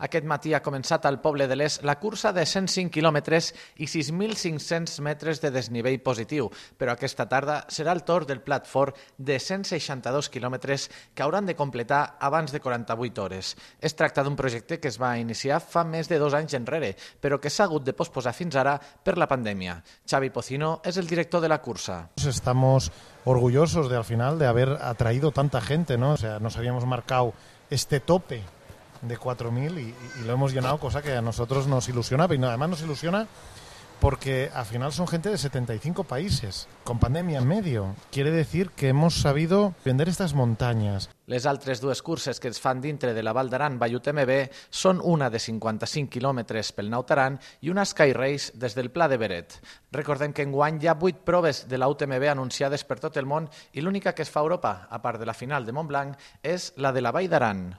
Aquest matí ha començat al Poble de l'Est la cursa de 105 quilòmetres i 6.500 metres de desnivell positiu, però aquesta tarda serà el torn del plat fort de 162 quilòmetres que hauran de completar abans de 48 hores. Es tracta d'un projecte que es va iniciar fa més de 2 anys enrere, però que s'ha hagut de posposar fins ara per la pandèmia. Xavi Pocino és el director de la cursa. Estamos orgullosos de al final de haber atraído tanta gente, ¿no? O sea, nos habíamos marcado este tope de 4.000 y lo hemos llenado, cosa que a nosotros nos ilusiona, pero además nos ilusiona porque al final son gente de 75 países, con pandemia en medio. Quiere decir que hemos sabido vender estas montañas. Les altres dues curses que es fan dintre de la Val d'Aran Vall UTMB són una de 55 quilòmetres pel Naut Aran i una Sky Race des del Pla de Beret. Recordem que enguany hi ha 8 proves de la UTMB anunciades per tot el món i l'única que es fa a Europa, a part de la final de Montblanc, és la de la Vall d'Aran.